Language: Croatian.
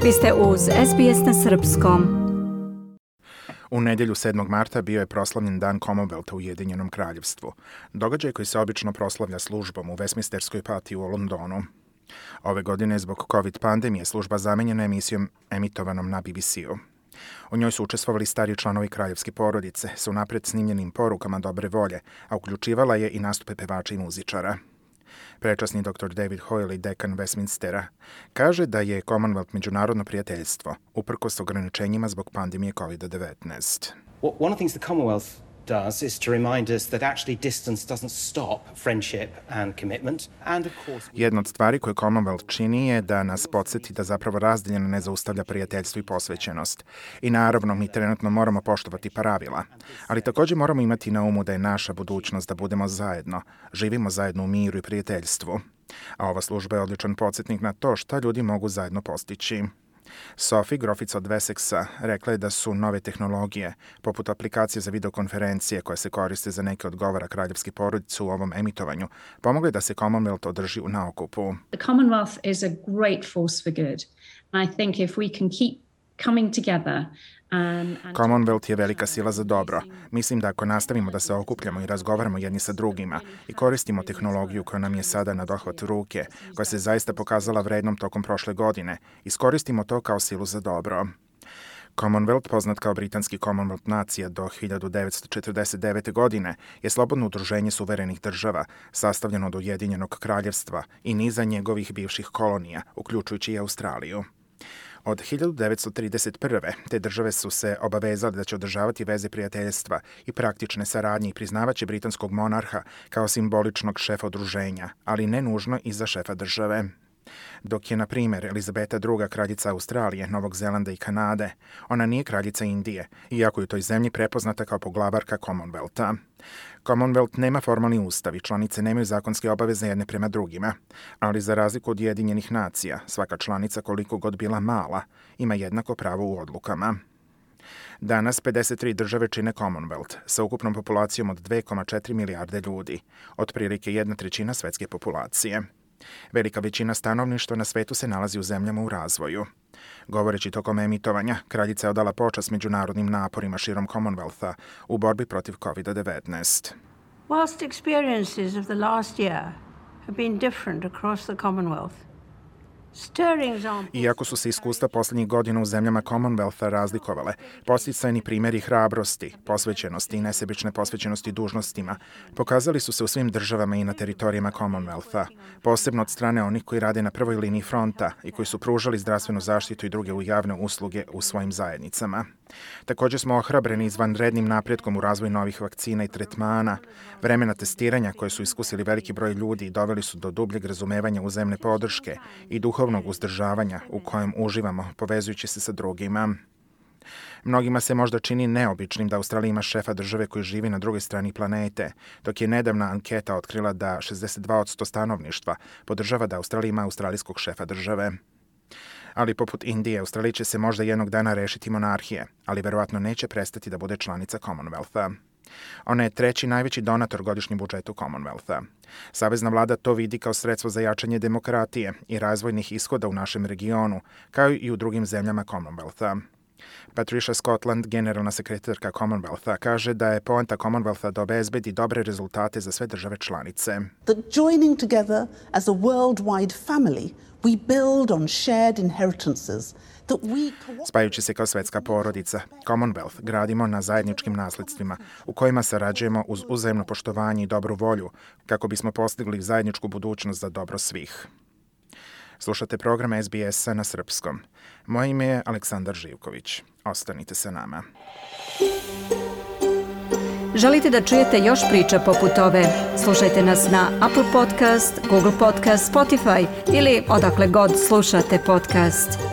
Vi ste uz SBS na srpskom. U nedjelju 7. marta bio je proslavljen Dan Commonwealtha u Ujedinjenom kraljevstvu, događaj koji se obično proslavlja službom u Westminsterskoj patiji u Londonu. Ove godine zbog COVID pandemije služba zamenjena emisijom emitovanom na BBC-u. U njoj su učestvovali stariji članovi kraljevske porodice s unaprijed snimljenim porukama dobre volje, a uključivala je i nastupe pevača i muzičara. Prečasni dr. David Hoyle, dekan Westminstera, kaže da je Commonwealth međunarodno prijateljstvo, uprkos ograničenjima zbog pandemije COVID-19. One of the things the Commonwealth does is to remind us that actually distance doesn't stop friendship and commitment. And of course, Jedna od stvari koje Commonwealth čini je da nas podsjeti da zapravo razdaljeno ne zaustavlja prijateljstvo i posvećenost. I naravno, mi trenutno moramo poštovati pravila, ali također moramo imati na umu da je naša budućnost da budemo zajedno, živimo zajedno u miru i prijateljstvu. A ova služba je odličan podsjetnik na to šta ljudi mogu zajedno postići. Sophie, grofica od Wessexa, rekla je da su nove tehnologije, poput aplikacije za videokonferencije koje se koriste za neke od govora kraljevske porodice u ovom emitovanju, pomogle da se Commonwealth održi na okupu. The Commonwealth is a great force for good. And I think if we can keep coming together Commonwealth je velika sila za dobro. Mislim da ako nastavimo da se okupljamo i razgovaramo jedni sa drugima i koristimo tehnologiju koja nam je sada na dohvat ruke, koja se zaista pokazala vrednom tokom prošle godine, iskoristimo to kao silu za dobro. Commonwealth, poznat kao britanski Commonwealth nacija do 1949. godine, je slobodno udruženje suverenih država, sastavljeno od Ujedinjenog kraljevstva i niza njegovih bivših kolonija, uključujući i Australiju. Od 1931. te države su se obavezale da će održavati veze prijateljstva i praktične saradnje i priznavaće britanskog monarha kao simboličnog šefa udruženja, ali ne nužno i za šefa države. Dok je, na primjer, Elizabeta II. Kraljica Australije, Novog Zelanda i Kanade, ona nije kraljica Indije, iako je u toj zemlji prepoznata kao poglavarka Commonwealtha. Commonwealth nema formalni ustav i članice nemaju zakonske obaveze jedne prema drugima, ali za razliku od Ujedinjenih nacija, svaka članica, koliko god bila mala, ima jednako pravo u odlukama. Danas 53 države čine Commonwealth sa ukupnom populacijom od 2,4 milijarde ljudi, otprilike 1/3 svetske populacije. Velika većina stanovništva na svetu se nalazi u zemljama u razvoju. Govoreći tokom emitovanja, kraljica je odala počast međunarodnim naporima širom Commonwealtha u borbi protiv COVID-19. Whilst experiences of the last year have been different across the Commonwealth, iako su se iskustva posljednjih godina u zemljama Commonwealtha razlikovale, podsticajni primjeri hrabrosti, posvećenosti i nesebične posvećenosti dužnostima pokazali su se u svim državama i na teritorijama Commonwealtha, posebno od strane onih koji rade na prvoj liniji fronta i koji su pružali zdravstvenu zaštitu i druge javne usluge u svojim zajednicama. Također smo ohrabreni izvanrednim napretkom u razvoju novih vakcina i tretmana, vremena testiranja koje su iskusili veliki broj ljudi i doveli su do dubljeg razumevanja uzajamne podrške i duhovnog uzdržavanja u kojem uživamo povezujući se sa drugima. Mnogima se možda čini neobičnim da Australija ima šefa države koji živi na drugoj strani planete, dok je nedavna anketa otkrila da 62% stanovništva podržava da Australija ima australijskog šefa države. Ali poput Indije, Australija će se možda jednog dana rešiti monarhije, ali verovatno neće prestati da bude članica Commonwealtha. Ona je treći najveći donator godišnjem budžetu Commonwealtha. Savezna vlada to vidi kao sredstvo za jačanje demokratije i razvojnih ishoda u našem regionu, kao i u drugim zemljama Commonwealtha. Patricia Scotland, generalna sekretarka Commonwealtha, kaže da je poanta Commonwealtha da obezbedi dobre rezultate za sve države članice. That joining together as a worldwide family, we build on shared inheritances. Spajajući se kao svetska porodica, Commonwealth gradimo na zajedničkim nasledstvima u kojima sarađujemo uz uzajemno poštovanje i dobru volju kako bismo postigli zajedničku budućnost za dobro svih. Slušate program SBS-a na srpskom. Moje ime je Aleksandar Živković. Ostanite sa nama. Želite da čujete još priča poput ove? Slušajte nas na Apple Podcast, Google Podcast, Spotify ili odakle god slušate podcast.